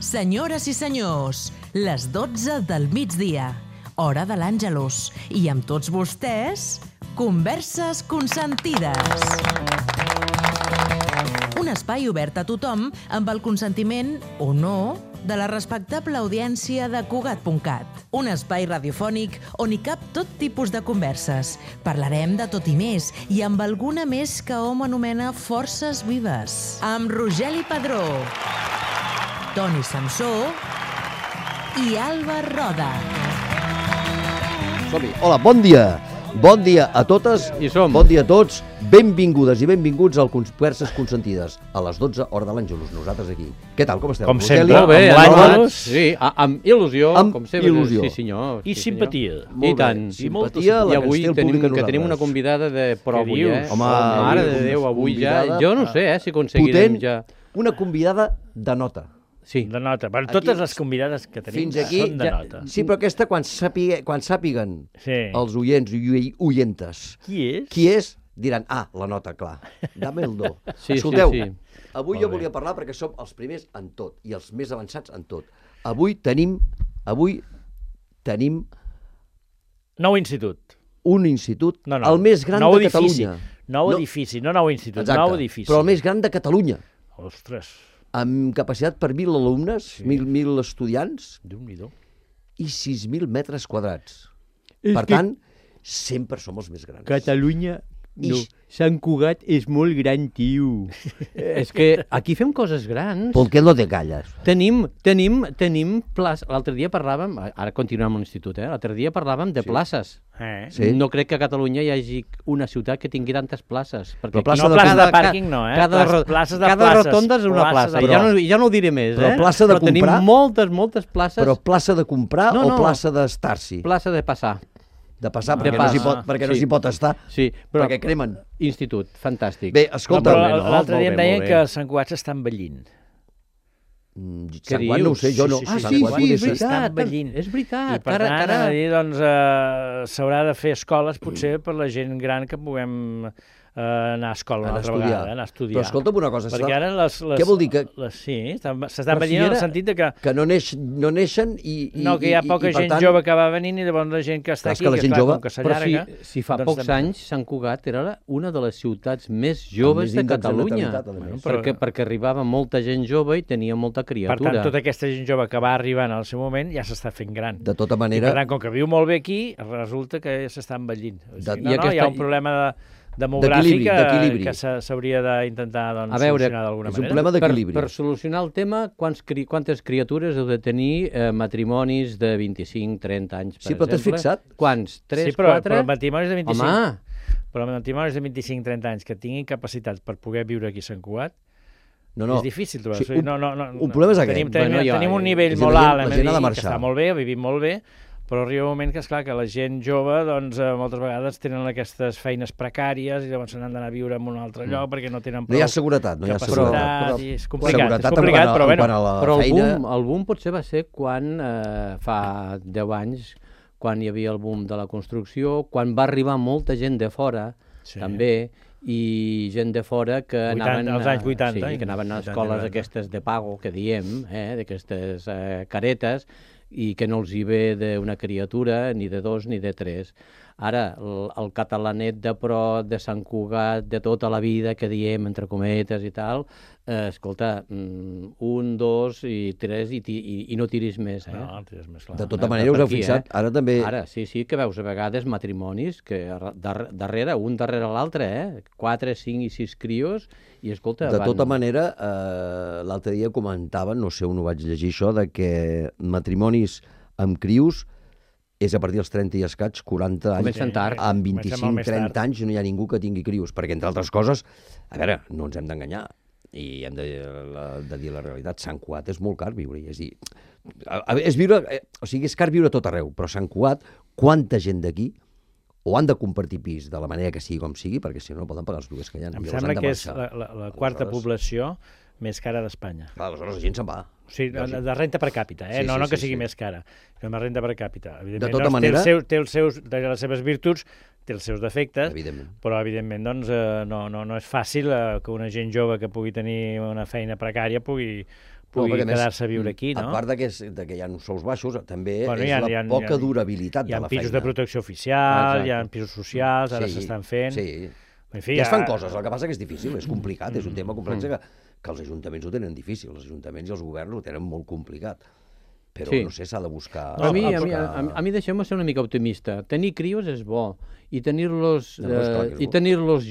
Senyores i senyors, les 12 del migdia, hora de l'Àngelus, i amb tots vostès, Converses Consentides. Un espai obert a tothom amb el consentiment, o no, de la respectable audiència de Cugat.cat. Un espai radiofònic on hi cap tot tipus de converses. Parlarem de tot i més, i amb alguna més que hom anomena forces vives. Amb Rogeli Padró, Toni Samsó i Alba Roda. Som-hi. Hola, bon dia. Bon dia a totes, bon dia a tots. Benvingudes i benvinguts al Converses Consentides. A les 12, hora de l'Àngelus, nosaltres aquí. Què tal, com esteu? Com sempre, Molt bé, amb l'Àngelus. Sí, amb il·lusió, com sempre. il·lusió. Sí, senyor. I simpatia. I tant. Simpatia, I la que avui ens té el públic a tenim una nosaltres. convidada de pro avui, dius? eh? Home, Mare de Déu, avui ja... convidada Jo no sé, si aconseguirem potent, ja... una convidada de nota. Sí. De nota. Per Aquí, totes les convidades que tenim Fins aquí, són de nota. sí, però aquesta quan sàpiguen Sí. els oients i oientes Qui és? diran, la nota, clar, dame el do. Sí, Escolteu, sí. avui Molt jo bé. volia parlar perquè som els primers en tot i els més avançats en tot. Avui tenim Nou institut. un institut, No. el més gran nou de edifici. Catalunya. Nou edifici, no nou institut, Exacte, nou edifici. però el més gran de Catalunya, Ostres, amb capacitat per 1.000 alumnes, 1.000 estudiants Déu-n'hi-do. i 6.000 metres quadrats. És Per que tant, sempre som els més grans. Catalunya... No, Ix. Sant Cugat és molt gran, tio. És que aquí fem coses grans. ¿Por qué lo de calles? Tenim places. L'altre dia parlàvem, ara continuem amb l'institut, l'altre dia parlàvem de places. Sí. No crec que a Catalunya hi hagi una ciutat que tingui tantes places. Perquè Però plaça No, de places de cada- pàrquing no, Cada, places de cada places. rotonda és una Places plaça. de Ja places. no ho diré més, Però eh? plaça de Però tenim comprar? moltes places. Però plaça de comprar No, o no. plaça d'estar-s'hi? Plaça de passar. De passar, De perquè, no s'hi passar, pot, perquè no sí. s'hi pot estar, Sí, però perquè cremen. institut, fantàstic. Bé, No, escolta, però no, l'altre dia em molt bé, deien molt que bé. Sant Cugat s'està envellint. Sant Juan no ho sé, jo no. Sí, Ah, Sant sí, Cugat sí, és s'està veritat. envellint. És I veritat. per tant, a dir, doncs, s'haurà de fer escoles, potser, per la gent gran que puguem anar a escola una Anar a altra estudiar. vegada, anar a estudiar. Però escolta'm una cosa, Perquè ara les... què vol dir? Sí, s'està Però envellint si en el era- sentit de que... No neixen i... No, que hi ha poca i, per gent tant, jove que va venint i llavors la gent que està Clar, és aquí, que la gent clar, jove- com que Però s'allarga... si fa doncs pocs també. anys Sant Cugat era una de les ciutats més joves més de índex de Catalunya. natalitat, a més. Perquè arribava molta gent jove i tenia molta Per criatura. tant, tota aquesta gent jove que va arribant al seu moment ja s'està fent gran. De tota I manera, per tant, com que viu molt bé aquí, resulta que s'està envellint. O sigui, I hi ha un problema demogràfic d'equilibri. que s'hauria d'intentar doncs, A veure, solucionar d'alguna és un manera. problema d'equilibri. Per solucionar el tema, quantes criatures heu de tenir matrimonis de 25-30 anys, per Sí, però t'has exemple? fixat? Quants? 3, Sí, però 4? matrimonis de 25... Home, Però matrimonis de 25-30 anys que tinguin capacitat per poder viure aquí a Sant Cugat, no. és difícil trobar. Sí, O sigui, un un problema és aquest. Tenim un nivell és a dir, molt la alt, gent ha de que marxar. està molt bé, vivim molt bé, però arriba un moment que, esclar, que la gent jove, doncs, moltes vegades tenen aquestes feines precàries i llavors se n'han d'anar a viure en un altre lloc perquè no tenen No hi ha prou seguretat, no hi ha capacitat, seguretat. i és complicat, Seguretat però bueno. quant a la però feina... el boom potser va ser quan, fa 10 anys, quan hi havia el boom de la construcció, quan va arribar molta gent de fora, Sí. també, i gent de fora que 80, anaven... als anys 80, sí, que anaven a 80, escoles 90. aquestes de pago, que diem, d'aquestes caretes, i que no els hi ve d'una criatura, ni de 2 ni de 3. Ara, el catalanet de pro, de Sant Cugat, de tota la vida, que diem, entre cometes i tal, escolta, 1, 2 i 3 i no tiris més, No, és més clar. De tota manera, us heu aquí, fixat, ara també... Ara, sí, que veus a vegades matrimonis que darrere, un darrere l'altre, 4, 5 i 6 crios, i escolta... De tota manera, l'altre dia comentaven, no sé on ho vaig llegir això, de que matrimonis amb crios és a partir dels 30 i escaig, 40 anys. Comencen tard. Amb Comencem molt més 25-30 tard. anys no hi ha ningú que tingui crios, perquè, entre altres coses, a veure, no ens hem d'enganyar, i hem de dir la realitat, Sant Cugat és molt car viure-hi, és dir, és car viure a tot arreu, però Sant Cugat, quanta gent d'aquí o han de compartir pis de la manera que sigui com sigui, perquè si no, no poden pagar els lloguers que hi ha. Em Llavors sembla han de que és marxar. la quarta població més cara d'Espanya. Clar, aleshores la gent se'n va. O sigui, de renta per càpita, Sí, no que sigui sí. més cara, sinó de renta per càpita. Evidentment, De tota doncs, manera- té les seves virtuts, té els seus defectes, Evidentment. però evidentment doncs, no és fàcil que una gent jove que pugui tenir una feina precària pugui pugui quedar-se a viure aquí, no? A part que hi ha uns sous baixos, també és la poca durabilitat de la feina. Hi ha pisos de protecció oficial, hi ha pisos socials, ara s'estan fent... Sí, ja es fan coses, el que passa que és difícil, és complicat, és un tema complex que els ajuntaments ho tenen difícil, els ajuntaments i els governs ho tenen molt complicat. Però, no sé, s'ha de buscar... A mi deixem-me ser una mica optimista. Tenir crios és bo, i tenir-los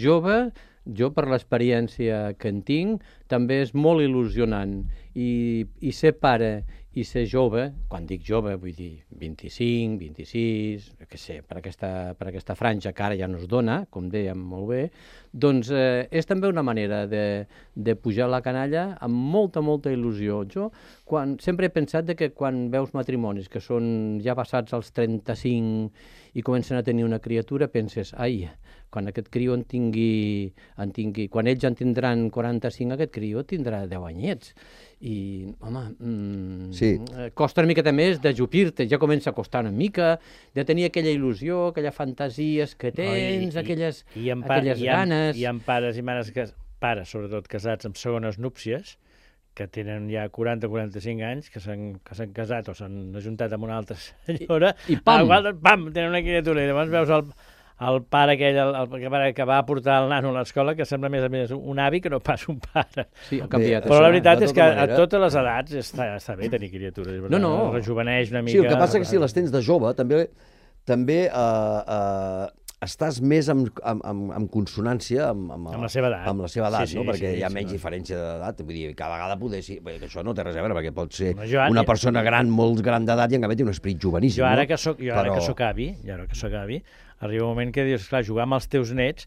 joves, jo per l'experiència que en tinc, també és molt il·lusionant. I ser pare i ser jove, quan dic jove vull dir 25, 26, què sé, per aquesta franja que ara ja no es dona, com dèiem molt bé, doncs és també una manera de pujar la canalla amb molta, molta il·lusió. Jo sempre he pensat que quan veus matrimonis que són ja passats als 35 i comencen a tenir una criatura, penses, ai, quan aquest criu quan ells en tindran 45, aquest criu tindrà 10 anyets. I, home, costa una miqueta més d'ajupir-te, ja comença a costar una mica, de tenir aquella il·lusió, aquelles fantasies que tens, aquelles ganes... Hi ha pares i mares, pares sobretot casats amb segones núpcies, que tenen ja 40-45 anys, que s'han casat o s'han ajuntat amb una altra senyora, i pam! Pam! Tenen una criatura, i llavors veus el pare aquell, que va portar el nano a l'escola, que sembla més a més un avi que no pas un pare. Sí, ha canviat. Però la veritat és que a totes les edats està bé tenir criatures. No. Rejuveneix una mica... Sí, el que passa que si les tens de jove, també estàs més en consonància amb la seva edat. Amb la seva edat, no? Perquè hi ha menys diferència d'edat. Vull dir, cada vegada poder ser... Això no té res a veure, perquè pot ser una persona gran, molt gran d'edat, i en canvi té un esperit joveníssim. Jo ara que soc avi, arriba un moment que dius, clar, jugar amb els teus nets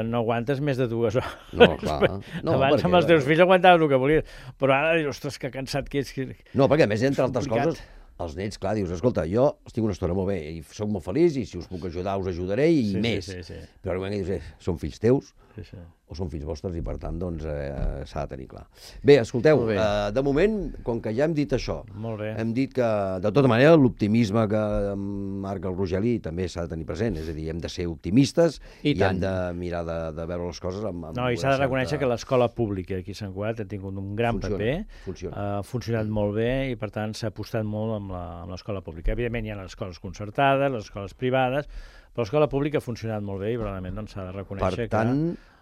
no aguantes més de 2 hores. No, clar. Abans amb els teus fills aguantaves el que volies, però ara dius, ostres, que cansat que ets. No, perquè a més, entre altres coses, els nets, clar, dius, escolta, jo estic una estona molt bé i soc molt feliç i si us puc ajudar us ajudaré i més. Però al moment que dius, són fills teus o són fills vostres i per tant doncs s'ha de tenir clar. Bé, escolteu, de moment, com que ja hem dit això, hem dit que de tota manera l'optimisme que marca el Rogeli també s'ha de tenir present, és a dir, hem de ser optimistes i hem de mirar de veure les coses amb... No, i s'ha de reconèixer que l'escola pública aquí a Sant Cugat ha tingut un gran paper, ha funcionat molt bé i per tant s'ha apostat molt amb l'escola pública. Evidentment hi ha les escoles concertades, les escoles privades, però l'escola pública ha funcionat molt bé i probablement s'ha de reconèixer que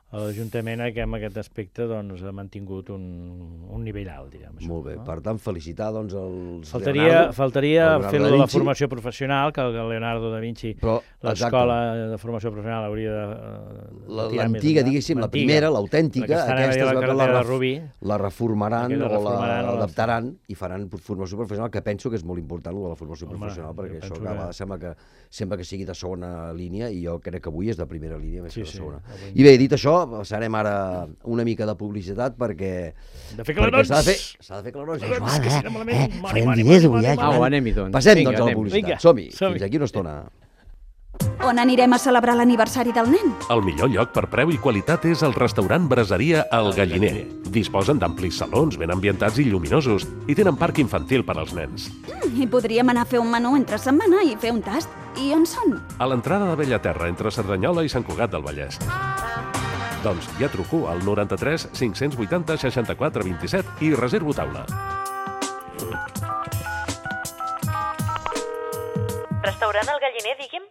l'Ajuntament en aquest aspecte ha mantingut un nivell alt, diguem. Molt bé, per tant, felicitar els Faltaria fer-lo de la formació professional, que el Leonardo da Vinci, l'escola de formació professional hauria de... L'antiga, diguéssim, la primera, l'autèntica, aquesta és la que la reformaran o l'adaptaran i faran formació professional, que penso que és molt important la formació professional, perquè això sembla que sempre que sigui de segona línia, i jo crec que avui és de primera línia més que de segona. I bé, dit això, passarem ara una mica de publicitat perquè... De fer clarons! S'ha de fer clarons. Farem diners avui, anem-hi, doncs. Passem, doncs, a la publicitat. Som-hi, fins aquí una estona. On anirem a celebrar l'aniversari del nen? El millor lloc per preu i qualitat és el restaurant Braseria El Galliner. Disposen d'amplis salons ben ambientats i lluminosos i tenen parc infantil per als nens. I podríem anar a fer un menú entre setmana i fer un tast. I on són? A l'entrada de Bellaterra, entre Cerdanyola i Sant Cugat del Vallès. Doncs ja truco al 93 580 64 27 i reservo taula. Restaurant El Galliner, digui'm?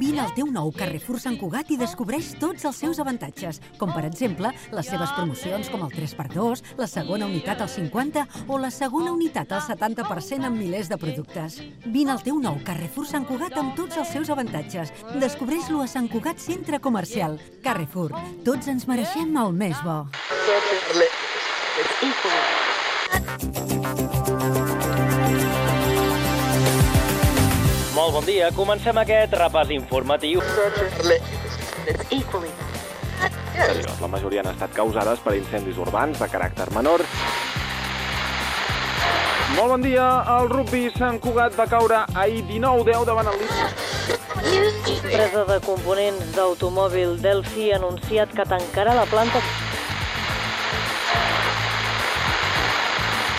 Vine al teu nou Carrefour Sant Cugat i descobreix tots els seus avantatges, com per exemple les seves promocions com el 3x2, la segona unitat al 50 o la segona unitat al 70% en milers de productes. Vine al teu nou Carrefour Sant Cugat amb tots els seus avantatges. Descobreix-lo a Sant Cugat Centre Comercial. Carrefour, tots ens mereixem el més bo. Molt bon dia, comencem aquest repàs informatiu. La majoria han estat causades per incendis urbans de caràcter menor. Molt bon dia, el rugby Sant Cugat va caure ahir 19-10 davant el Líder. Empresa de components d'automòbil Delphi ha anunciat que tancarà la planta.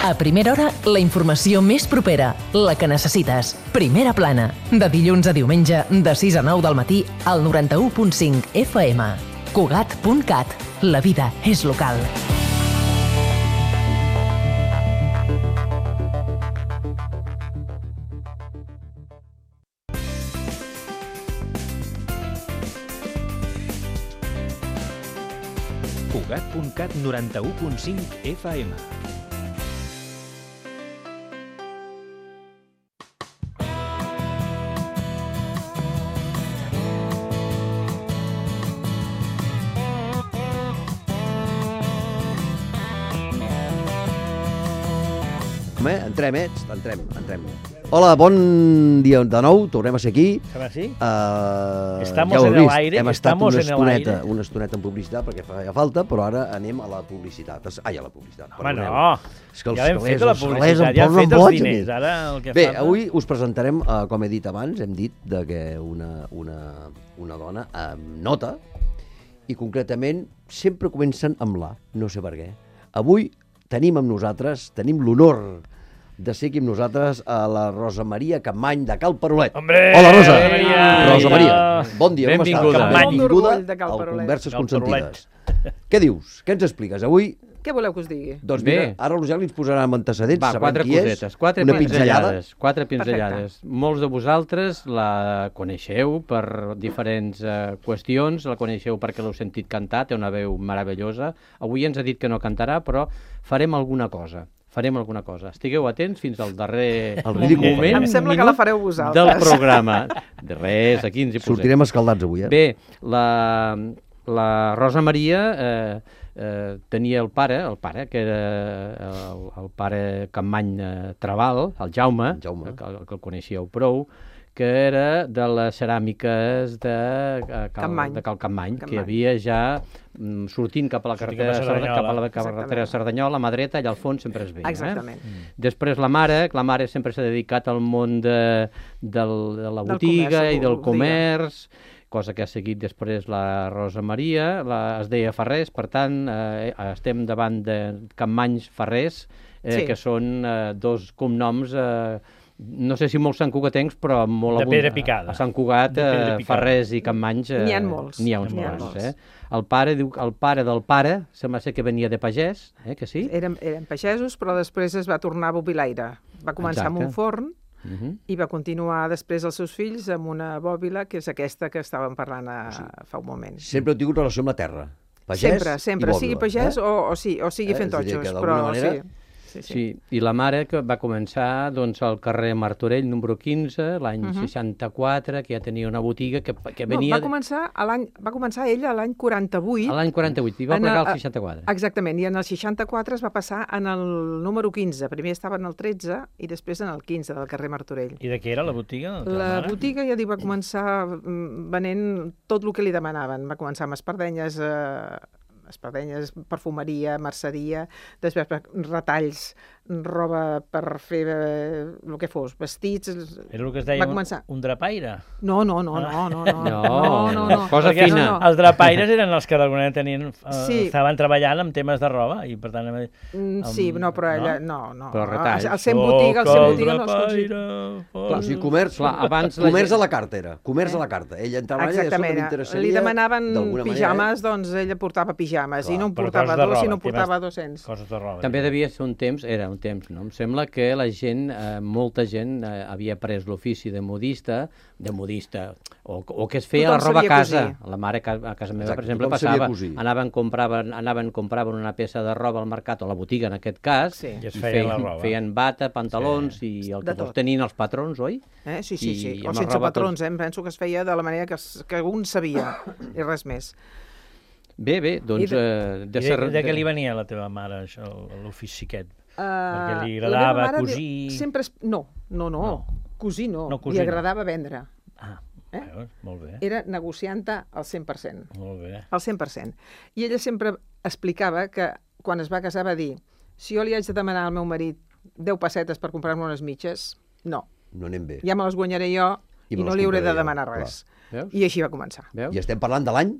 A primera hora, la informació més propera, la que necessites. Primera plana, de dilluns a diumenge, de 6 a 9 del matí, al 91.5 FM. Cugat.cat, la vida és local. Cugat.cat 91.5 FM. Entrem. Hola, bon dia de nou, tornem a ser aquí. Estamos en el aire. Hem estat una estoneta en publicitat perquè feia falta, però ara anem a la publicitat. A la publicitat. Home, no. Ja hem fet la publicitat, ja hem fet els diners. Ara el que Bé, avui us presentarem, com he dit abans, hem dit que una dona amb nota, i concretament sempre comencen amb la, no sé per què. Avui tenim amb nosaltres, tenim l'honor de ser aquí amb nosaltres a la Rosa Maria Capmany de Cal Parolet. Hombre! Hola, Rosa! Rosa Maria, bon dia, com estàs? Benvinguda al Converses Consentides. Què dius? Què ens expliques? Avui... Què voleu que us digui? Doncs mira, ara l'Eugeni ens posarà amb antecedents, sabem qui és, una pinzellada. Quatre pinzellades. Molts de vosaltres la coneixeu per diferents qüestions, la coneixeu perquè l'heu sentit cantar, té una veu meravellosa. Avui ens ha dit que no cantarà, però farem alguna cosa. Estigueu atents fins al darrer moment. Em sembla que la fareu vosaltres. Del programa. De res, aquí ens hi posem. Sortirem escaldats avui, Bé, la Rosa Maria tenia el pare, que era el pare Capmany Trabal, el Jaume, que el coneixíeu prou, que era de les ceràmiques de Cal Capmany, que hi havia ja sortint cap a la carretera de Cerdanyola, a mà dreta, allà al fons sempre es veia. Exactament. Després la mare sempre s'ha dedicat al món de la botiga i del comerç, cosa que ha seguit després la Rosa Maria, es deia Ferrés, per tant, estem davant de Capmanys Ferrés, que són dos cognoms, no sé si molts santcugatencs, però molt de pedra picada. A Sant Cugat, Ferrés i Capmanys... N'hi ha molts. N'hi ha uns quants. El pare del pare, sembla ser que venia de pagès, que sí? Eren pagesos, però després es va tornar bobilaire. Va començar amb un forn, i va continuar després els seus fills amb una bòbila, que és aquesta que estàvem parlant fa un moment. Sempre heu tingut relació amb la terra, pagès sempre, sigui pagès o sigui fent totxos, però sí. Sí, i la mare que va començar al carrer Martorell, número 15, l'any 64, que ja tenia una botiga que venia... Va començar ella l'any 48. A l'any 48, i va plegar el 64. Exactament, i en el 64 es va passar en el número 15. Primer estava en el 13 i després en el 15 del carrer Martorell. I de què era la botiga? La botiga, ja dic, va començar venent tot el que li demanaven. Va començar amb espardenyes, perfumeria, merceria, després retalls, roba per fer el que fos, vestits... Era el que es deia un drapaire? No. Cosa fina. Els drapaires eren els que d'alguna manera estaven treballant amb temes de roba i per tant... Sí, no, però ella... No. Però retalls. El Cent Botiga no. O sigui, comerç a la carta era. Comerç a la carta. Ella entrava allà i això que m'interessaria... Li demanaven pijames, doncs ella portava pijames i no en portava 2, sinó portava 200. Coses de roba. També devia ser un temps no? Em sembla que la gent, molta gent, havia pres l'ofici de modista, o que es feia la roba a casa. La mare a casa meva, per exemple, passava, anaven, compraven una peça de roba al mercat, o a la botiga en aquest cas, i feien bata, pantalons, i el que vols tenien els patrons, oi? Sí, o sense patrons, penso que es feia de la manera que un sabia, i res més. Bé, doncs... De què li venia a la teva mare, això, l'ofici aquest? Perquè li agradava cosir... No. Cosir no. Li agradava vendre. Molt bé. Era negocianta al 100%. Molt bé. Al 100%. I ella sempre explicava que quan es va casar va dir: si jo li haig de demanar al meu marit 10 pessetes per comprar-me unes mitges, no. No anem bé. Ja me les guanyaré jo i no li hauré de demanar res. I així va començar. I estem parlant de l'any?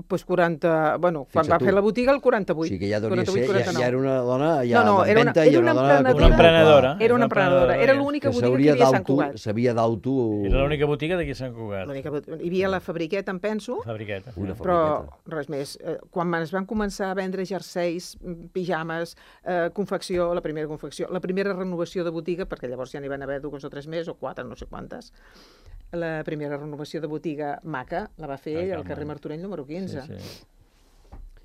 Doncs 40... Bueno, quan va fer la botiga, el 48. O sigui que ja devia 48, ser, ja era una dona ja no, d'empenta i una dona... Una emprenedora. Era una emprenedora. Era l'única botiga que hi havia a Sant Cugat. S'havia d'auto... Era l'única botiga d'aquí a Sant Cugat. Hi havia la Fabriqueta, em penso. Fabriqueta. Però res més. Quan es van començar a vendre jerseis, pijames, confecció, la primera renovació de botiga, perquè llavors ja n'hi van haver 2 o 3 més, o 4, no sé quantes, la primera renovació de botiga maca la va fer ell al carrer Martorell número 15.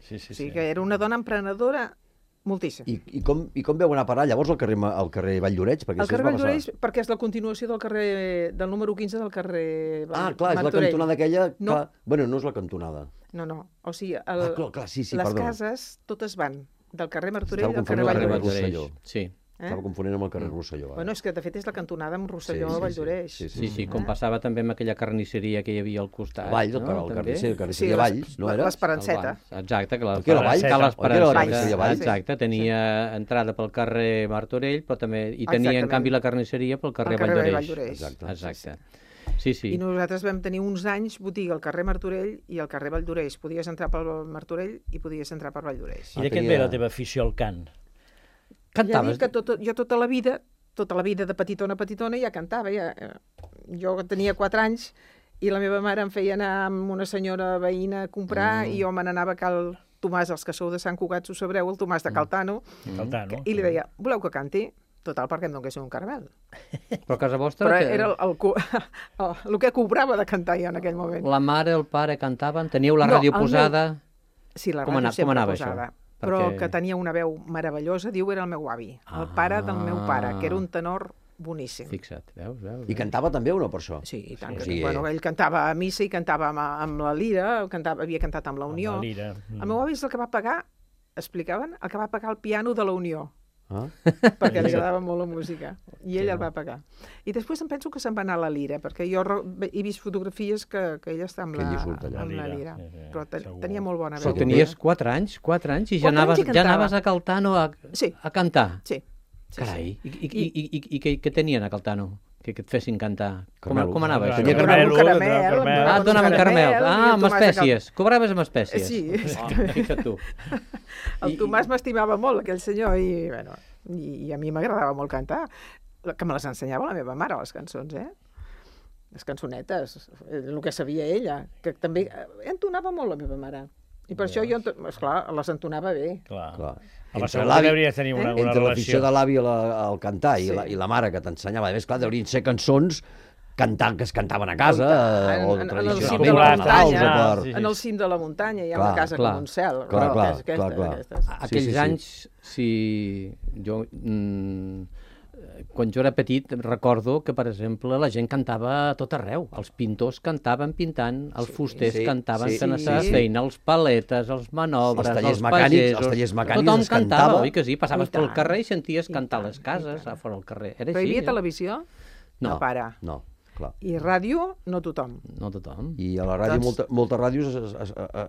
Sí. Que era una dona emprenedora moltíssim. I com veu anar a parar llavors al carrer Valldoreix? El carrer Valldoreix perquè és la continuació del número 15 del carrer Martorell. Ah, clar, és la cantonada aquella... Bueno, no és la cantonada. No. O sigui, les cases totes van del carrer Martorell al carrer Valldoreix. Sí. Estava confonent amb el carrer Rosselló. Bueno, és que de fet és la cantonada amb Rosselló a Valldoreix. Sí, com passava també amb aquella carnisseria que hi havia al costat. Valls, el carnisseria Valls, no era? L'Esperanceta. Exacte, que l'Esperanceta. Exacte, tenia entrada pel carrer Martorell, però també hi tenia, en canvi, la carnisseria pel carrer Valldoreix. Exacte. Sí. I nosaltres vam tenir uns anys botiga al carrer Martorell i al carrer Valldoreix. Podies entrar pel Martorell i podies entrar per Valldoreix. I de què et ve la teva afició al cant? Cantaves? Ja dic que jo tota la vida de petitona ja cantava. Jo tenia 4 anys i la meva mare em feia anar amb una senyora veïna a comprar i jo me n'anava a Cal Tomàs, els que sou de Sant Cugat, ho sabreu, el Tomàs de Caltano, i li deia, voleu que canti? Total, perquè em donguessin un caramel. Però a casa vostra... Però era el que cobrava de cantar jo en aquell moment. La mare, el pare cantaven? Teníeu la ràdio posada? Sí, la ràdio sempre posada. Però que tenia una veu meravellosa, diu, era el meu avi, el pare del meu pare, que era un tenor boníssim. Fixa't, veus? I cantava també o no, per això? Sí, i tant. Bueno, ell cantava a missa i cantava amb la lira, havia cantat amb la Unió. El meu avi és el que va pagar, explicaven, el que va pagar el piano de la Unió. Perquè li agradava molt la música i ell el va pagar. I després em penso que se'n va anar a la lira, perquè jo he vist fotografies que ell està amb la lira, però tenia molt bona veu. Però tenies 4 anys i ja anaves a Caltano a cantar? Sí. Carai, i què tenien a Caltano? Que et fessin cantar. Com anava això? Caramel. Ah, et donaven caramel. Ah, amb espècies. Cobraves amb espècies. Sí, exactament. Fixa't tu. El Tomàs m'estimava molt, aquell senyor, i a mi m'agradava molt cantar. Que me les ensenyava la meva mare, les cançons, les cançonetes, el que sabia ella, que també entonava molt la meva mare. I per això jo, esclar, les entonava bé. Clar. Entre l'afició de l'avi al cantar i la mare que t'ensenyava, a més, clar, deurien ser cançons que es cantaven a casa, o tradicionalment. En el cim de la muntanya hi ha una casa com un cel. Clar. Aquells anys, si jo... Quan jo era petit recordo que, per exemple, la gent cantava a tot arreu. Els pintors cantaven pintant, els fusters cantaven fent la seva feina, els paletes, els manobres, els pagesos... Els tallers mecànics tothom es cantava. Oi que sí? Passaves pel carrer i senties cantar les cases a fora del carrer. Però hi havia televisió? No. Para. No. Clar. I ràdio, no tothom. No tothom. I a la ràdio moltes ràdios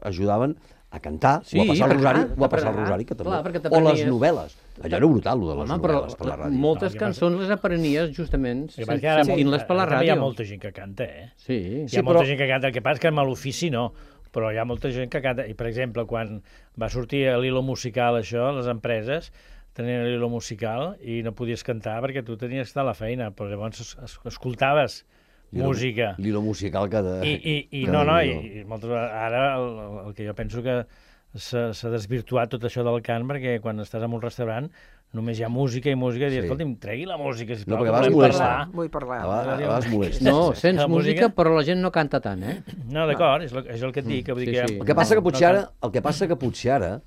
ajudaven a cantar, o a passar el rosari, que també. O les novel·les. Allò era brutal, de les novel·les per la ràdio. Moltes cançons les aprenies justament sentint-les per la ràdio. Hi ha molta gent que canta, Sí. Hi ha molta gent que canta. El que passa és que amb l'ofici no, però hi ha molta gent que canta. I, per exemple, quan va sortir l'hilo musical, això, les empreses tenien l'hilo musical i no podies cantar perquè tu tenies que estar a la feina, però llavors escoltaves música. L'hilo musical cada... I moltes vegades, ara el que jo penso que s'ha desvirtuat tot això del cant, perquè quan estàs en un restaurant només hi ha música i dius, escolti'm, tregui la música, sisplau, no, perquè a vegades molesta. Vull parlar. A vegades molesta. No, sents música, però la gent no canta tant, No, d'acord, és el que et dic. El que passa que potser ara,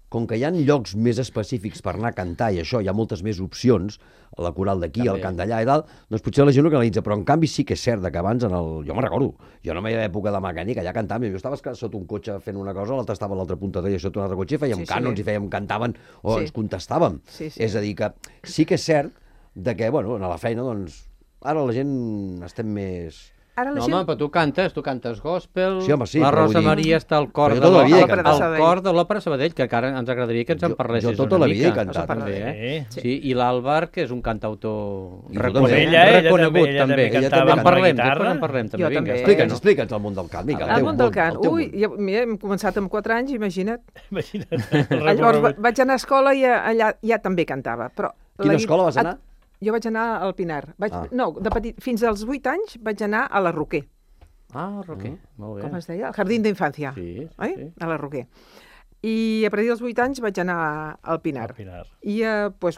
com que hi ha llocs més específics per anar a cantar i això, hi ha moltes més opcions, la coral d'aquí, el cant d'allà i dalt, doncs potser la gent ho canalitza, però en canvi sí que és cert que abans, jo me'n recordo, jo no m'hi havia època de mecànica, allà cantàvem, jo estava sota un cotxe fent una cosa, l'altre estava a l'altra punta d'ella sota un altre cotxe, fèiem cànons i cantaven, o ens contestàvem. És a dir, que sí que és cert que, bueno, a la feina, doncs, ara la gent estem més... Ara no, home, però tu cantes gospel, sí, home, sí, la Rosa Maria està al cor de l'Òpera Sabadell, que encara ens agradaria que ens en parlessis una mica. Jo tota la vida he cantat. També, sí. I l'Àlvar, que és un cantautor reconegut, també. En parlem també. Vinga, explica'ns el món del cant. El món del cant. Ui, hem començat amb 4 anys, imagina't. Llavors vaig anar a escola i allà ja també cantava. Quina escola vas anar? Jo vaig anar al Pinar. No, de petit, fins als 8 anys vaig anar a la Roquer. Ah, Roquer, molt bé. Com es deia? El Jardín d'Infància. Sí. A la Roquer. I a partir dels 8 anys vaig anar al Pinar. I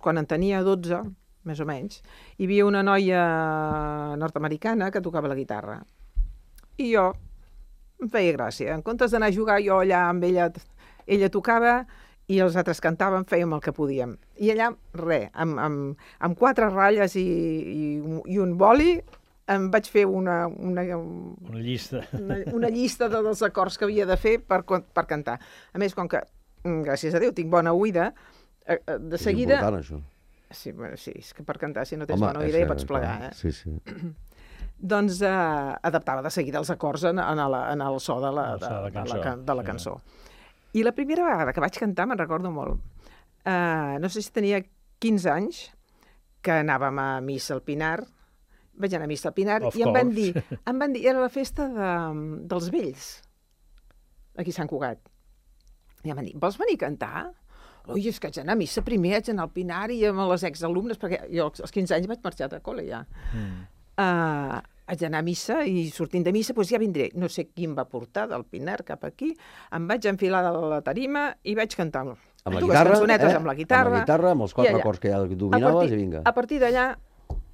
quan en tenia 12, més o menys, hi havia una noia nord-americana que tocava la guitarra. I jo em feia gràcia. En comptes d'anar a jugar jo allà amb ella tocava i els altres cantàvem, fèiem el que podíem. I allà, amb 4 ratlles i un boli, em vaig fer una llista. Una llista dels acords que havia de fer per cantar. A més, com que, gràcies a Déu, tinc bona oïda, de seguida... És important, això. Sí, és que per cantar, si no tens bona oïda, ja pots plegar. Sí. Doncs adaptava de seguida els acords en el so de la cançó. I la primera vegada que vaig cantar, me'n recordo molt, no sé si tenia 15 anys, que anàvem a missa al Pinar, vaig anar a missa al Pinar, i em van dir, era la festa dels vells, aquí a Sant Cugat. I em van dir, vols venir a cantar? Ui, és que haig d'anar a missa primer, haig d'anar al Pinar i amb les exalumnes, perquè jo als 15 anys vaig marxar de col·le ja. Haig d'anar a missa i sortint de missa ja vindré. No sé qui em va portar del Pinar cap aquí, em vaig enfilar de la tarima i vaig cantar amb la guitarra, amb la guitarra, amb els 4 acords que ja dominaves i vinga. A partir d'allà,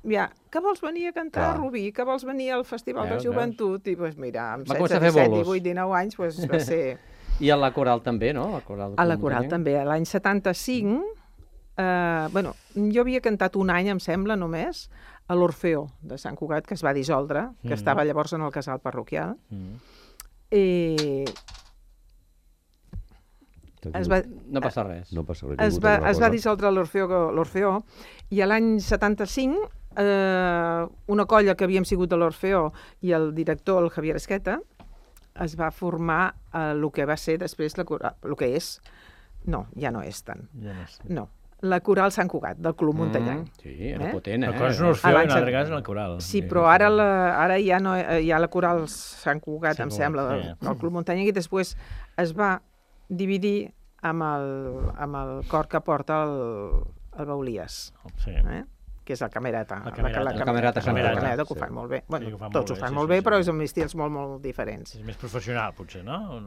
que vols venir a cantar, Rubí? Que vols venir al Festival de Joventut? I mira, amb 16, 17, 18, 19 anys va ser... I a la coral també, no? A la coral també. L'any 75, jo havia cantat un any, em sembla, només, a l'Orfeó de Sant Cugat, que es va dissoldre, que estava llavors en el casal parroquial. No passa res. Es va dissoldre l'Orfeó i l'any 75 una colla que havíem sigut de l'Orfeó i el director, el Javier Esqueta, es va formar el que va ser després el que és. No, ja no és tant. No. La Coral Sant Cugat, del Club Muntanyenc. Sí, era potent, La cosa no es feia, en altre cas, la Coral. Sí, però ara ja no hi ha la Coral Sant Cugat, em sembla, del Club Muntanyenc, i després es va dividir amb el cor que porta el Baulies, que és el Camerata. La Camerata Sant Cugat. Que ho fan molt bé. Tots ho fan molt bé, però és amb estils molt, molt diferents. És més professional, potser, no?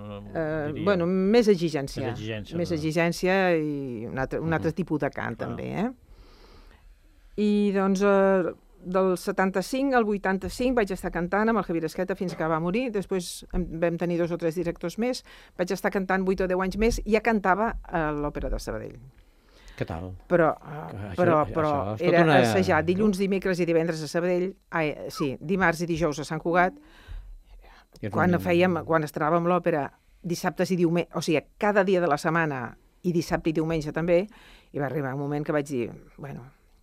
Més exigència. Més exigència i un altre tipus de cant, també. I doncs del 75 al 85 vaig estar cantant amb el Javier Esqueta fins que va morir. Després vam tenir 2 o 3 directors més. Vaig estar cantant 8 o 10 anys més i ja cantava a l'Òpera de Sabadell. Què tal? Però era assajar dilluns, dimecres i divendres a Sabadell, dimarts i dijous a Sant Cugat. Quan estrenàvem l'òpera dissabtes i diumenge, o sigui, cada dia de la setmana i dissabte i diumenge també, i va arribar un moment que vaig dir,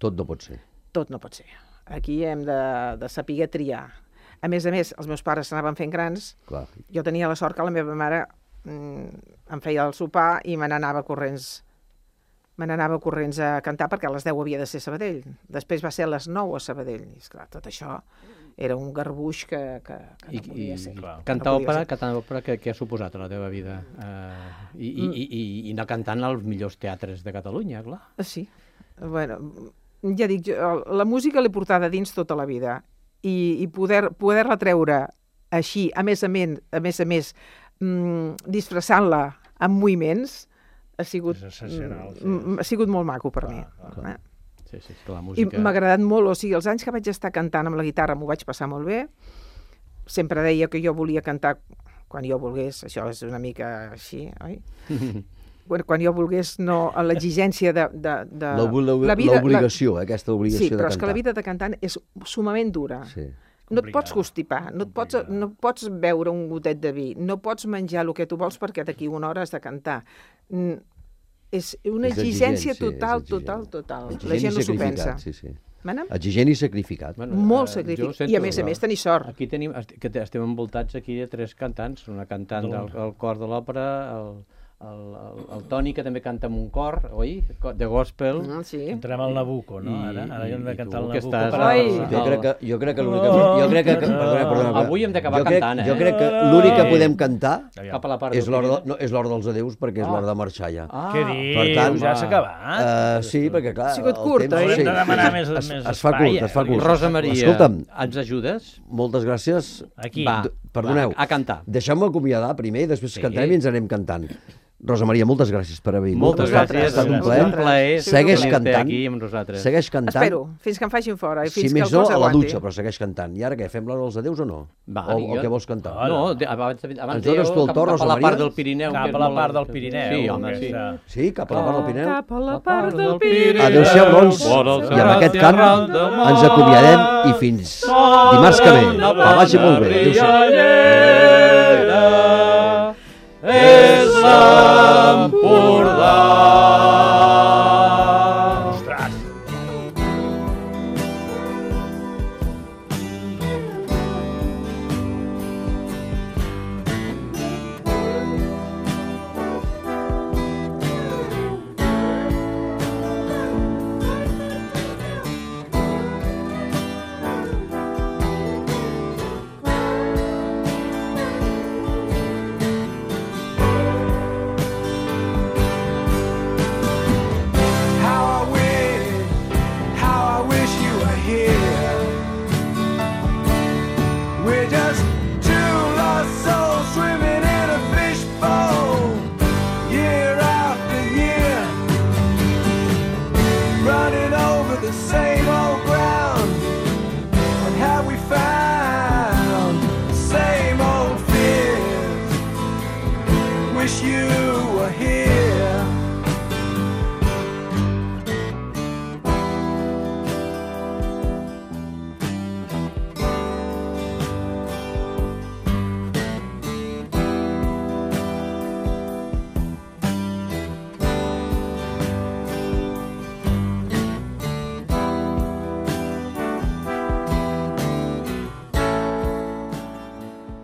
tot no pot ser. Tot no pot ser. Aquí hem de saber triar. A més, els meus pares s'anaven fent grans. Jo tenia la sort que la meva mare em feia el sopar i me n'anava corrents a cantar perquè a les 10 havia de ser a Sabadell. Després va ser a les 9 a Sabadell. I esclar, tot això era un garbuix que no podia ser. Cantar òpera, què ha suposat a la teva vida? I anar cantant als millors teatres de Catalunya, clar. Sí. Ja dic, la música l'he portada dins tota la vida. I poder-la treure així, a més a més, disfressant-la amb moviments, ha sigut molt maco per mi. I m'ha agradat molt, o sigui, els anys que vaig estar cantant amb la guitarra m'ho vaig passar molt bé. Sempre deia que jo volia cantar quan jo volgués, això és una mica així, oi? Quan jo volgués, no, l'exigència de... L'obligació, aquesta obligació de cantar. Sí, però és que la vida de cantant és sumament dura. No et pots constipar, no pots beure un gotet de vi, no pots menjar el que tu vols perquè d'aquí una hora has de cantar. És una exigència total. La gent no s'ho pensa. Exigent i sacrificat. Molt sacrificat. I a més tenir sort. Aquí tenim, que estem envoltats aquí de 3 cantants, una cantant del cor de l'òpera, el Toni, que també canta en un cor, oi? De gospel. Entrem al Nabucco, no? Ara hem de cantar el Nabucco. Jo crec que l'únic que... Avui hem d'acabar cantant, Jo crec que l'únic que podem cantar cap a la part és l'hora dels adeus, perquè és l'hora de marxar ja. Què dius? Ja s'ha acabat? Sí, perquè clar... Ha sigut curt, oi? Hem de demanar més espai. Es fa curt. Rosa Maria, ens ajudes? Moltes gràcies. Aquí. Perdoneu. A cantar. Deixeu-me acomiadar primer i després cantarem i ens anem cantant. Rosa Maria, moltes gràcies per haver vingut. Moltes gràcies. Ha estat un plaer. Segueix cantant. Segueix cantant. Espero, fins que em facin fora. Si més no, a la dutxa, però segueix cantant. I ara què, fem l'hora dels adeus o no? O què vols cantar? No, abans cap a la part del Pirineu. Cap a la part del Pirineu. Sí, home, sí. Sí, cap a la part del Pirineu? Cap a la part del Pirineu. Adéu-siau, doncs. I amb aquest cant ens acomiadem i fins dimarts que ve. Que vagi molt bé. Adéu-siau. Es la